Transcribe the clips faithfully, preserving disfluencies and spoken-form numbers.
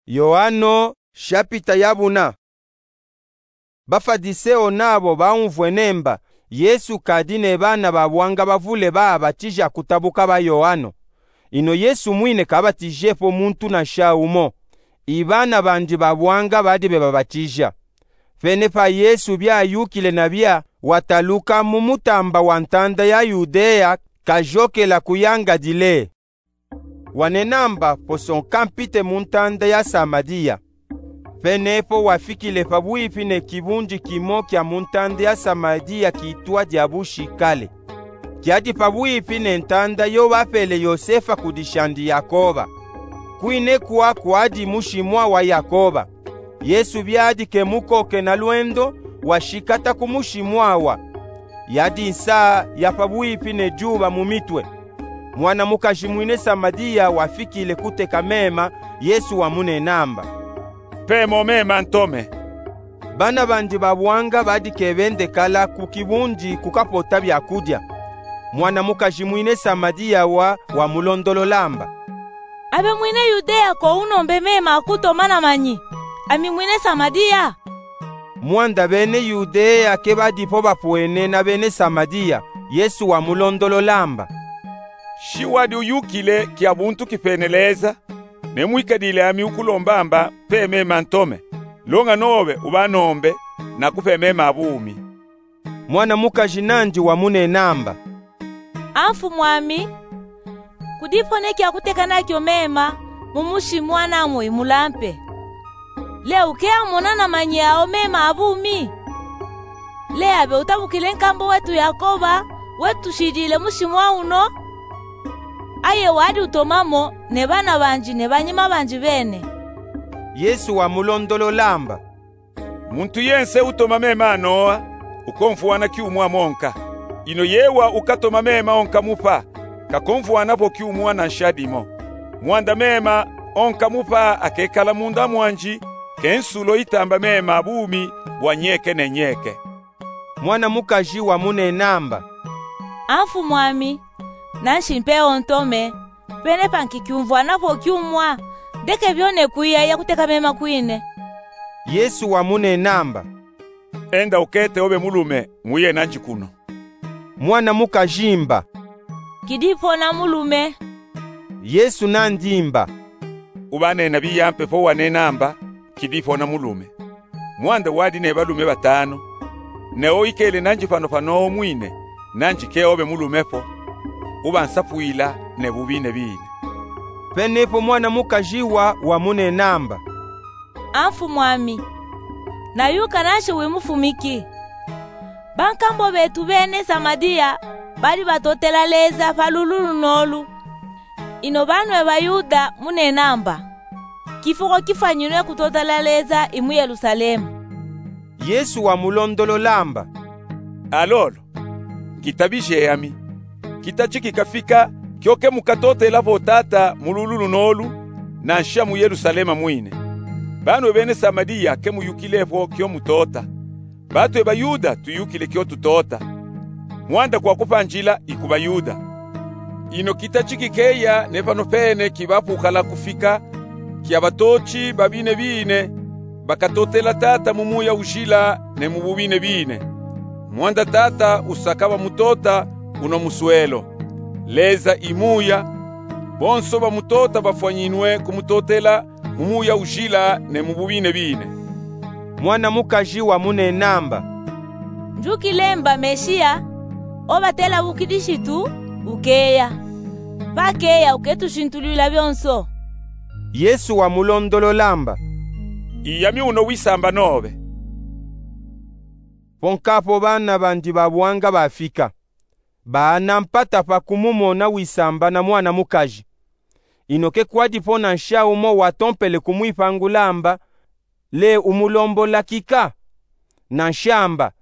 Yoano, shapita ya buna. Bafadiseo nabo baumvwa nemba Yesu kadi ne bana ba bwanga bavule babatija kutabuka ba Yoano. Ino Yesu mwine kabatijepo muntu nansha umo, i bana bandi ba bwanga badi bebabatija. Pene pa Yesu biayukile nabia, wataluka mu mutamba wa ntanda ya Yudea, kajokela ku ya Galilea. Wanenamba posonka mpite mu ntanda ya Samaria. Pene po wafikile pabwipi ne kibundi kimo kia mu ntanda ya Samaria kitwa Diabushikale. Kiadi pabwipi ne ntanda yo bapele Yosefa kudisha ndi Yakoba. Kwine kwa kwadi mushimwa wa Yakoba. Yesu biadi kemukoke na lwendo, washikata ku mushimwa wa. Yadi nsa ya pabwipi ne dyuba mu mitwe. Mwana mukaji mwine Samaria wafikile kuteka mema, Yesu wamunenamba: Mpe mo mema ntome. Bana bandi ba bwanga badi kebendekala ku kibundi kukapota byakudia. Mwana mukaji mwine Samaria wa wamulondololamba: Abe mwine Yudea ko unombe mema akutoma na manyi, ami mwine Samaria? Mwanda bene Yudea kebadi po bapwene na bene Samaria, Yesu wamulondololamba: Shi wadi uyukile kia buntu kipene Leza, ne mwikadile ami ukulombamba mpe mema ntome, longa nobe ubanombe, nakupe mema a bumi. Mwana mukaji nandi wamunenamba: A mfumwami, kudi po ne kia kuteka nakyo mema mu mushimwa namo imulampe. Le ukeya mona na manyi ao mema a bumi? Le abe utabukile nkambo wetu Yakoba, wetushidile mushimwa uno? Aye wadi utomamo ne bana bandi ne banyima bandi bene. Yesu wamulondololamba: Muntu yense utoma mema a nowa, ukomfwana kyumwa monka. Ino yewa ukatoma mema onka mupa, kakomfwanapo kyumwa nansha dimo. Mwanda mema onka mupa akekala munda mwandi, ke nsulo itamba mema a bumi bwa nyeke ne nyeke. Mwana mukaji wamunenamba: A mfumwami, nanshi mpe ontome, pene pa nkikyumvwanapo kyumwa, ndeke byone kwiya ya kuteka mema kwine. Yesu wamunenamba: Enda ukete obe mulume, muye nandi kuno. Mwana mukajimba: Kidipo na mulume. Yesu nandimba: Ubanena biya mpe po wanenamba: Kidipo na mulume. Mwanda wadi ne balume batanu, ne o ikele nandi pano pano mwine, nandi ke obe mulume po, ubansapwila ne bubine bine. Penepo mwana mukaji wa wamunenamba: A mfumwami, nayuka nanshi wimufumiki. Bankambo betu bene Samaria badi batotela Leza pa lulu lunolu. Ino banwe Bayuda munenamba: Kifuko kifwanyinwe kutotela Leza i mu Yerusalemu. Yesu wamulondololamba: Alolo, kitabije ami, kitachiki kafika kyo ke mukatotelapo Tata mu lulu lunolu, nansha mu Yerusalema mwine. Banwe bene Samaria ke muyukilepo kyo mutota. Batwe Bayuda tuyukile kyo tutota. Mwanda kwa kupa njila i ku Bayuda. Ino kitachiki keya ne pano pene kibapukala kufika, kya batochi babine bine bakatotela Tata mu muya ujila ne mu bubine bine. Mwanda Tata usaka bamutota uno muswelo. Leza i muya, bonso bamutota bafwanyinwe kumutotela mu muya ujila ne mu bubine bine. Mwana mukaji wamunenamba: Njukilemba Mesiya, obatela bukidisitu, ukeya. Pakeya uketushintulwila byonso. Yesu wamulondololamba: Iyami uno wisamba nobe. Ponkapo bana bandi babwanga bafika. Baana mpata pa kumumona wisamba na mwana mukaji. Ino ke kwadipo nansha umo watompele kumwipangulamba: Le umulombola kika? Nanshamba: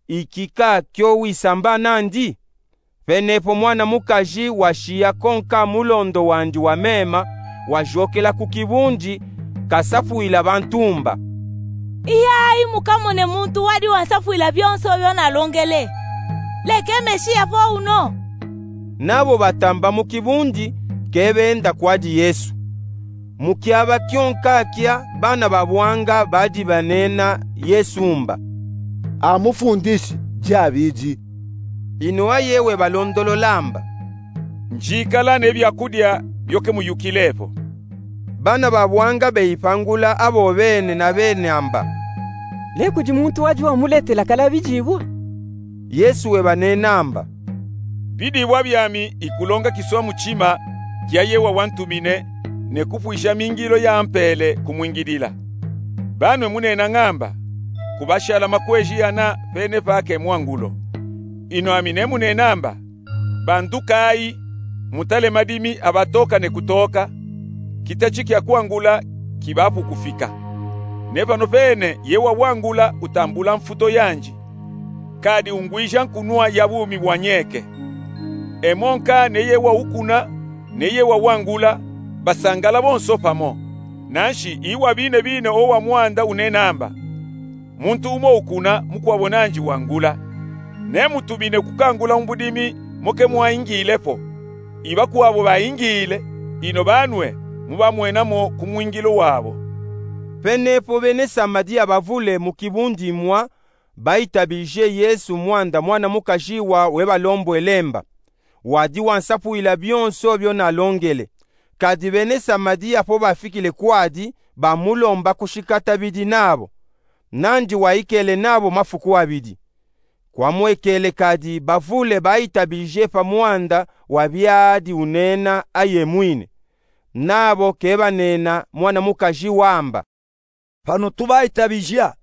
Ikika kyo wisamba nandi? Penepo mwana mukaji washiya konka mulondo wandi wa mema, wajokela ku kibundi, kasapwila bantumba: Iyayi mukamone muntu wadi wansapwila byonso byo nalongele. Le ke Mesiya po uno? Nabo batamba mu kibundi, kebenda kwadi Yesu. Mu kiaba kyonka kya, bana ba bwanga badi banena Yesu mba: "A Mufundisi, diabidi." Inu aye webalondolola mba: "Njikala ne byakudya byoke muyukile po." Bana ba bwanga beyipangula abo bene na bene amba: "Lekudi muntu wadi wamuletela kalabi dibwa." Yesu webanena mba: "Bidibwa byami ikulonga kiswa mutima kya ye wawantumine, ne kupwisha mingilo yampele kumwingidila. Banwe munena ngamba: Kubashala makweji ana, pene pake mwangulo. Inu ami nemunena mba: Bandukayi, mutale madimi abatoka ne kutoka, kitachi kya kwangula kibapu kufika. Ne pano pene ye wawangula utambula mfuto yandi, kadi ungwija nkunwa ya bumi bwanyeke. Emonka ne ye waukuna, ne ye wawangula, basangala bonso pamo. Nanshi iwa bine bine owa mwanda unena mba: Muntu umo ukuna, mukwabo nandi wangula. Nemutumine kukangula mu budimi moke mwaingile po. Ibakwabo baingile, ino banwe mubamwenamo kumwingilo wabo." Penepo bene Samariya bavule mu kibundi mwa baitabije Yesu mwanda mwana mukaji wa webalombwele mba. Wadi wansapwila byonso byo nalongele. Kadi bene Samariya po bafikile kwadi, bamulomba kushikata bidi nabo. Nandi waikele nabo mafuku abidi. Kwamwekele kadi bavule baitabije pa mwanda wa byadi unena aye mwine. Nabo kebanena mwana mukaji wa mba: "Pano tubaitabija,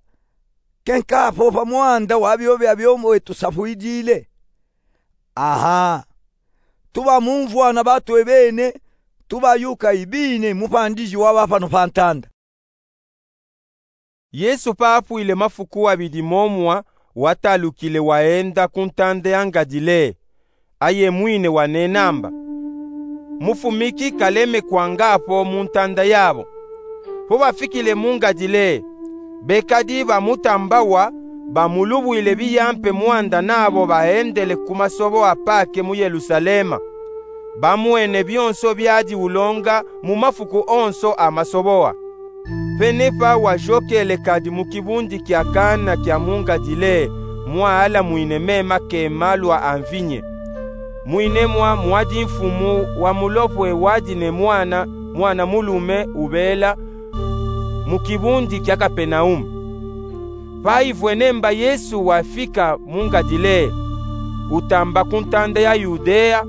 kenkapo pa mwanda wa byo byabyo wetusapwidile. Aha, tubamumvwa na batwe bene, tubayuka ibine mupandiji waba pano pa ntanda." Yesu papwile mafuku abidi momwa, watalukile waenda ku ntanda ya Ngadileya. Aye mwine wanena mba: "Mufumiki kaleme kwanga po mu ntanda yabo." Po bafikile mu Ngadileya, bekadi bamutambawa, bamulubwile biyampe mwanda nabo baendele ku masobowa pake mu Yelusalema. Bamwene byonso byadi ulonga mu mafuku onso a masobowa. Penepa wajokele kadi mu kibundi kya Kana kya mu Ngadileya, mwa alamwine mema kema lwa amvinye. Mwinemwa mwadi mfumu wa mulopwe wadi ne mwana, mwana mulume ubela mu kibundi kya Kapenaume. Payivwene mba Yesu wafika mu Ngadileya, utamba ku ntanda ya Yudeya,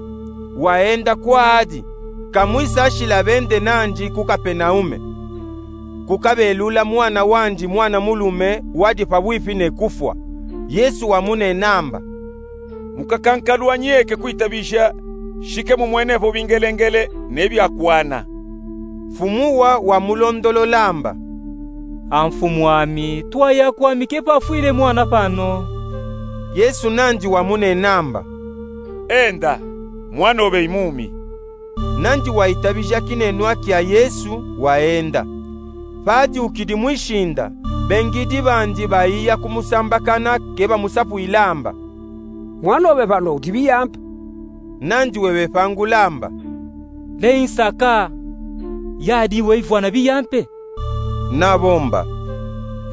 waenda kwadi, kamwisashila bende nandi ku Kapenaume. Kukabelula mwana wandi mwana mulume wadi pabwipi ne kufwa. Yesu wamunena mba: "Mukakankalu anyeke kwitabija, shike mumwenepo bingelengele ne byakwana." Mfumuwa wamulondolola mba: "A mfumu ami, twaya kwami kepafwile mwana pano." Yesu nandi wamunena mba: "Enda, mwanobe imumi." Nandi waitabija kinenwa kya Yesu, waenda. Padiukidi mwishinda, bengidi bandi baiya kumusambakana, kebamusapwila mba: "Mwanobe pano udi biyampe." Nandi webepangula mba: "Leyi nsaka, yadi weyivwana biyampe." Nabo mba: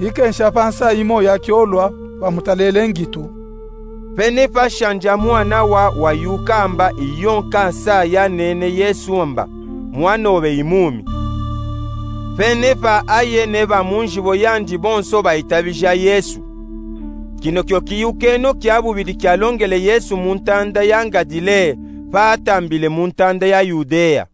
"Ikensha pa nsayi moya kyolwa bamutalele ngitu." Penepa shandi a mwana wa wayuka mba, iyo nkansa yanene Yesu mba: "Mwanobe imumi." Penepa aye ne bamunjibo yandi bonso baitabija Yesu. Kino kyo kiyukeno kya bubidi kyalongele Yesu mu ntanda ya Ngadileya, patambile mu ntanda ya Yudeya.